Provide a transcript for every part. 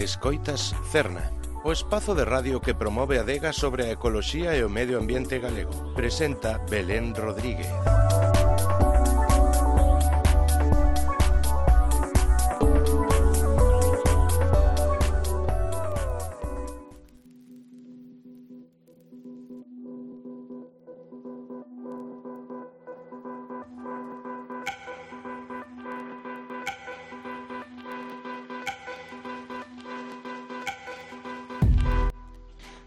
Escoitas Cerna, o espazo de radio que promove a adega sobre a ecoloxía e o medio ambiente galego. Presenta Belén Rodríguez.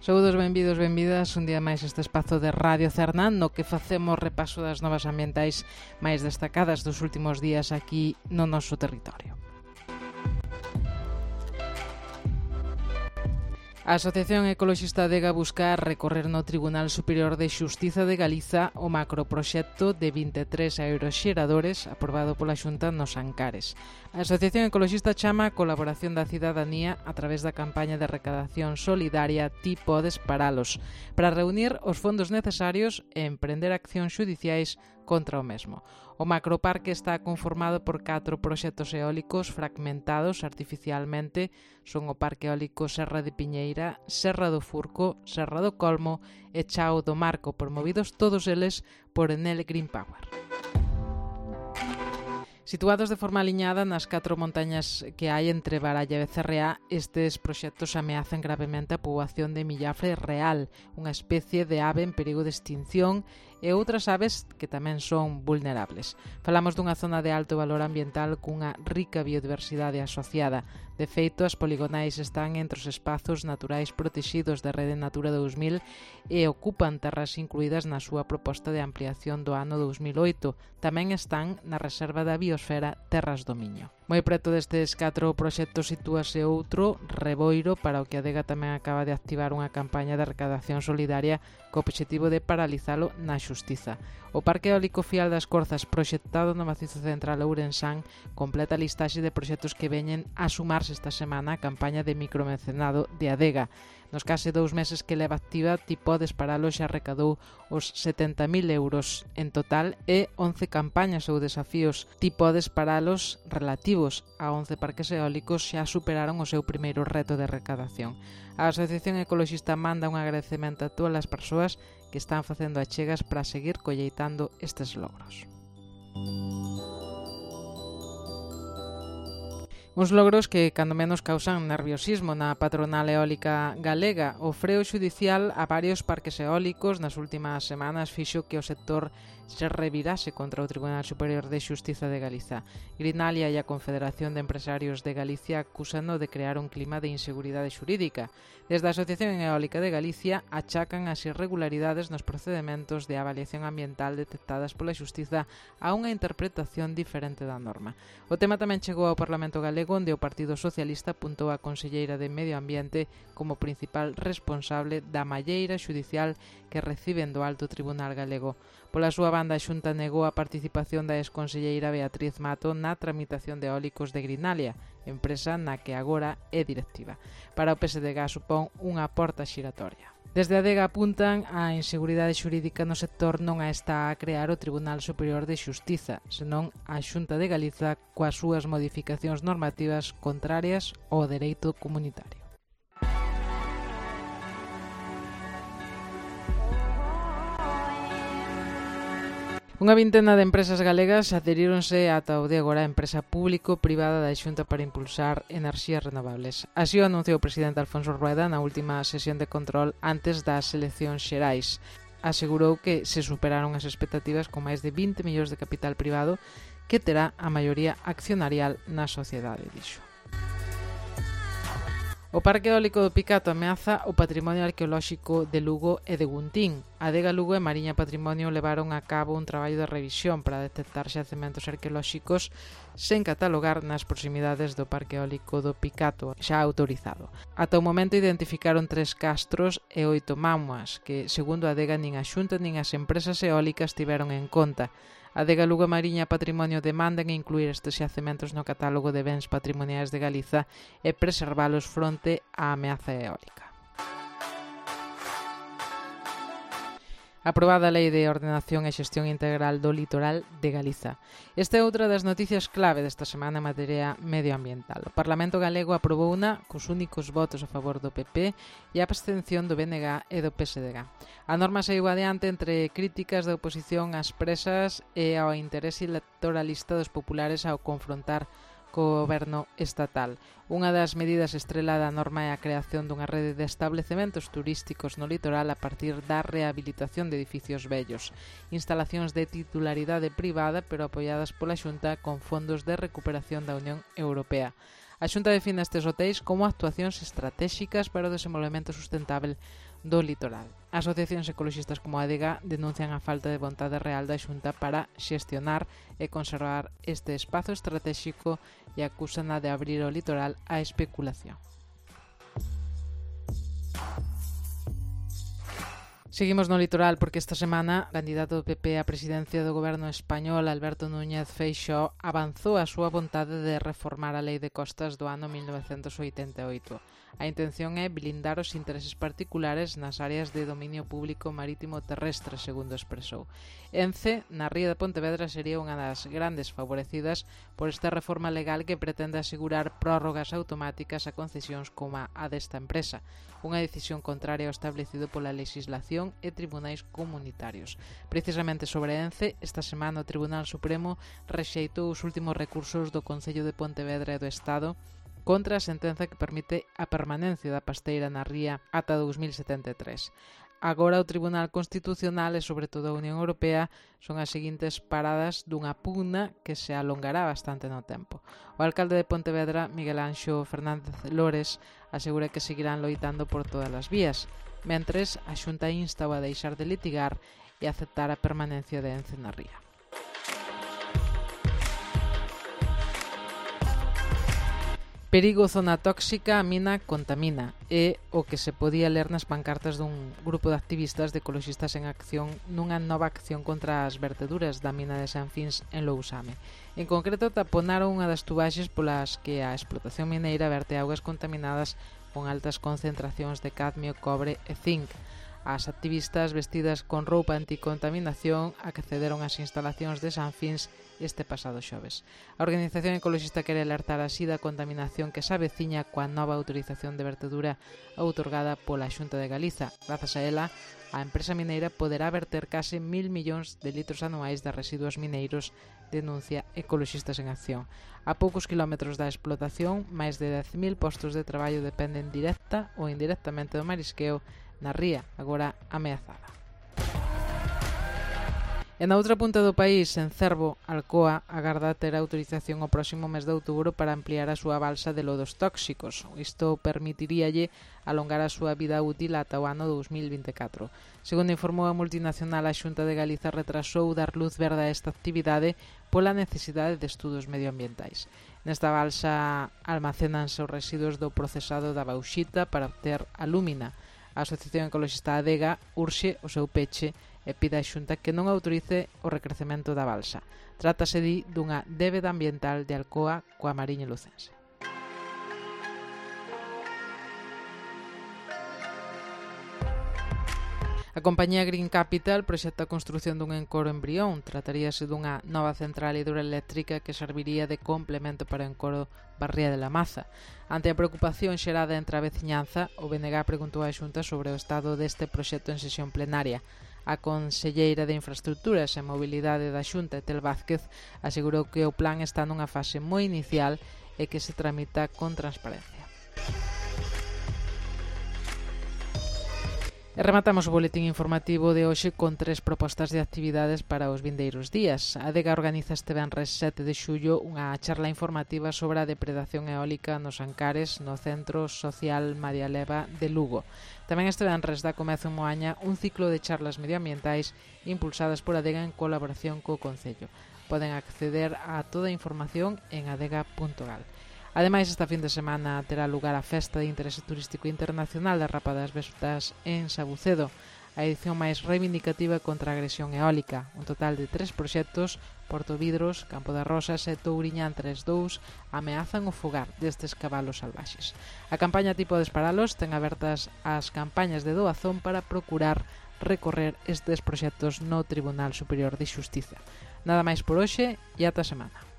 Saúdos, benvidos, benvidas un día máis este espazo de Radio Cerna no que facemos repaso das novas ambientais máis destacadas dos últimos días aquí no noso territorio. A Asociación Ecoloxista Adega busca recorrer no Tribunal Superior de Xustiza de Galiza o macroproxecto de 23 aeroxeradores aprobado pola Xunta nos Ancares. A Asociación Ecoloxista chama a colaboración da cidadanía a través da campaña de recadación solidaria Ti podes paralos, para reunir os fondos necesarios e emprender accións xudiciais contra o mesmo. O macroparque está conformado por 4 proxectos eólicos fragmentados artificialmente. Son o Parque Eólico Serra de Piñeira, Serra do Furco, Serra do Colmo e Chao do Marco, promovidos todos eles por Enel Green Power. Situados de forma aliñada nas 4 montañas que hai entre Baralla e Becerreá, estes proxectos ameazan gravemente a poboación de millafre real, unha especie de ave en perigo de extinción, e outras aves que tamén son vulnerables. Falamos dunha zona de alto valor ambiental cunha rica biodiversidade asociada. De feito, as poligonais están entre os espazos naturais protexidos da Rede Natura 2000 e ocupan terras incluídas na súa proposta de ampliación do ano 2008. Tamén están na Reserva da Biosfera Terras do Miño. Moi preto destes 4 proxectos sitúase outro, Reboiro, para o que a Adega tamén acaba de activar unha campaña de recadación solidaria co obxectivo de paralizalo na xustiza. O Parque Eólico Fial das Corzas, proxectado no macizo central ourensán, completa a listaxe de proxectos que veñen a sumarse esta semana a campaña de micromecenado de Adega. Nos case 2 meses que leva activa, Ti podes paralo xa recadou os 70.000 euros en total e 11 campañas ou desafíos Ti podes paralos relativos a 11 parques eólicos xa superaron o seu primeiro reto de recadación. A Asociación Ecoloxista manda un agradecemento a todas as persoas que están facendo achegas para seguir colleitando estes logros. Uns logros que, cando menos, causan nerviosismo na patronal eólica galega. O freo xudicial a varios parques eólicos nas últimas semanas fixo que o sector se revirase contra o Tribunal Superior de Xustiza de Galiza. Greenalia e a Confederación de Empresarios de Galicia acúsano de crear un clima de inseguridade xurídica. Desde a Asociación Eólica de Galicia achacan as irregularidades nos procedementos de avaliación ambiental detectadas pola xustiza a unha interpretación diferente da norma. O tema tamén chegou ao Parlamento galego, onde o Partido Socialista apuntou a conselleira de Medio Ambiente como principal responsable da malleira xudicial que reciben do Alto Tribunal galego. Pola súa banda, a Xunta negou a participación da exconselleira Beatriz Mato na tramitación de eólicos de Greenalia, empresa na que agora é directiva. Para o PSDG supón unha porta xiratoria. Desde a Adega apuntan a inseguridade xurídica no sector non a está a crear o Tribunal Superior de Xustiza, senón a Xunta de Galiza coas súas modificacións normativas contrarias ao dereito comunitario. Unha vintena de empresas galegas adheríronse ata o de agora a empresa público-privada da Xunta para impulsar enerxías renovables. Así o anunciou o presidente Alfonso Rueda na última sesión de control antes das eleccións xerais. Asegurou que se superaron as expectativas con máis de 20 millóns de capital privado que terá a maioría accionarial na sociedade, dixo. O Parque Eólico do Picato ameaza o patrimonio arqueolóxico de Lugo e de Guntín. A Adega Lugo e Mariña Patrimonio levaron a cabo un traballo de revisión para detectar xacementos arqueolóxicos sen catalogar nas proximidades do Parque Eólico do Picato, xa autorizado. Ata o momento identificaron 3 castros e 8 mámoas, que, segundo a Adega, nin a Xunta nin as empresas eólicas tiveron en conta. A Adega Lugo e Mariña Patrimonio demandan incluir estes xacementos no catálogo de bens patrimoniais de Galiza e preservalos fronte á ameaza eólica. Aprobada a Lei de Ordenación e Xestión Integral do Litoral de Galiza. Esta é outra das noticias clave desta semana en materia medioambiental. O Parlamento galego aprobou unha cos únicos votos a favor do PP e a abstención do BNG e do PSDG. A norma saiu adiante entre críticas da oposición ás presas e ao interese electoralista dos populares ao confrontar co goberno estatal. Unha das medidas estrela da norma é a creación dunha rede de establecementos turísticos no litoral a partir da rehabilitación de edificios vellos, instalacións de titularidade privada pero apoiadas pola Xunta con fondos de recuperación da Unión Europea. A Xunta define estes hotéis como actuacións estratéxicas para o desenvolvemento sustentável do litoral. Asociacións ecoloxistas como a ADEGA denuncian a falta de vontade real da Xunta para xestionar e conservar este espazo estratéxico e acúsana de abrir o litoral á especulación. Seguimos no litoral porque esta semana o candidato do PP á presidencia do goberno español, Alberto Núñez Feixóo, avanzou a súa vontade de reformar a Lei de Costas do ano 1988. A intención é blindar os intereses particulares nas áreas de dominio público marítimo terrestre, segundo expresou. Ence, na ría de Pontevedra, sería unha das grandes favorecidas por esta reforma legal que pretende asegurar prórrogas automáticas a concesións como a desta empresa, unha decisión contraria ao establecido pola legislación e tribunais comunitarios. Precisamente sobre Ence, esta semana o Tribunal Supremo rexeitou os últimos recursos do Concello de Pontevedra e do Estado contra a sentenza que permite a permanencia da pasteira na ría ata 2073. Agora o Tribunal Constitucional e sobre todo a Unión Europea son as seguintes paradas dunha pugna que se alongará bastante no tempo. O alcalde de Pontevedra, Miguel Anxo Fernández Lores, asegura que seguirán loitando por todas as vías, mentres a Xunta insta a deixar de litigar e aceptar a permanencia de Ence na ría. Perigo, zona tóxica, a mina contamina. É o que se podía ler nas pancartas dun grupo de activistas de ecoloxistas en acción nunha nova acción contra as verteduras da mina de Sanfins en Lousame. En concreto, taponaron unha das tubaxes polas que a explotación mineira verte augas contaminadas con altas concentracións de cadmio, cobre e zinc. As activistas vestidas con roupa anticontaminación accederon ás instalacións de Sanfins este pasado xoves. A organización ecoloxista quere alertar así da contaminación que se aveciña coa nova autorización de vertedura outorgada pola Xunta de Galiza. Grazas a ela, a empresa mineira poderá verter case 1.000 millóns de litros anuais de residuos mineiros, denuncia Ecoloxistas en Acción. A poucos kilómetros da explotación, máis de 10.000 postos de traballo dependen directa ou indirectamente do marisqueo na ría, agora ameazada. E na outra punta do país, en Cervo, Alcoa agarda ter autorización o próximo mes de outubro para ampliar a súa balsa de lodos tóxicos. Isto permitiríalle alongar a súa vida útil ata o ano 2024. Segundo informou a multinacional, a Xunta de Galiza retrasou dar luz verde a esta actividade pola necesidade de estudos medioambientais. Nesta balsa almacénanse os residuos do procesado da bauxita para obter alúmina. A Asociación Ecoloxista ADEGA urxe o seu peche e pide á Xunta que non autorice o recrecemento da balsa. Trátase, di, dunha débeda ambiental de Alcoa coa Mariña Lucense. A compañía Green Capital proxecta a construción dun encoro en Brión. Trataríase dunha nova central hidroeléctrica que serviría de complemento para o encoro Barría de la Maza. Ante a preocupación xerada entre a veciñanza, o BNG preguntou á Xunta sobre o estado deste proxecto en sesión plenaria. A conselleira de Infraestructuras e Mobilidade da Xunta, Etel Vázquez, asegurou que o plan está nunha fase moi inicial e que se tramita con transparencia. E rematamos o boletín informativo de hoxe con 3 propostas de actividades para os vindeiros días. A ADEGA organiza este venres 7 de xullo unha charla informativa sobre a depredación eólica nos Ancares no Centro Social María Leva de Lugo. Tamén este venres dá comezo en Moaña un ciclo de charlas medioambientais impulsadas por ADEGA en colaboración co Concello. Poden acceder a toda a información en adega.gal. Ademais, esta fin de semana terá lugar a Festa de Interese Turístico Internacional da Rapa das Vestas en Sabucedo, a edición máis reivindicativa contra a agresión eólica. Un total de 3 proxectos, Portovidros, Campo das Rosas e Touriñán 3.2, ameazan o fogar destes cabalos salvaxes. A campaña Ti podes paralos ten abertas as campañas de doazón para procurar recorrer estes proxectos no Tribunal Superior de Xustiza. Nada máis por hoxe e ata a semana.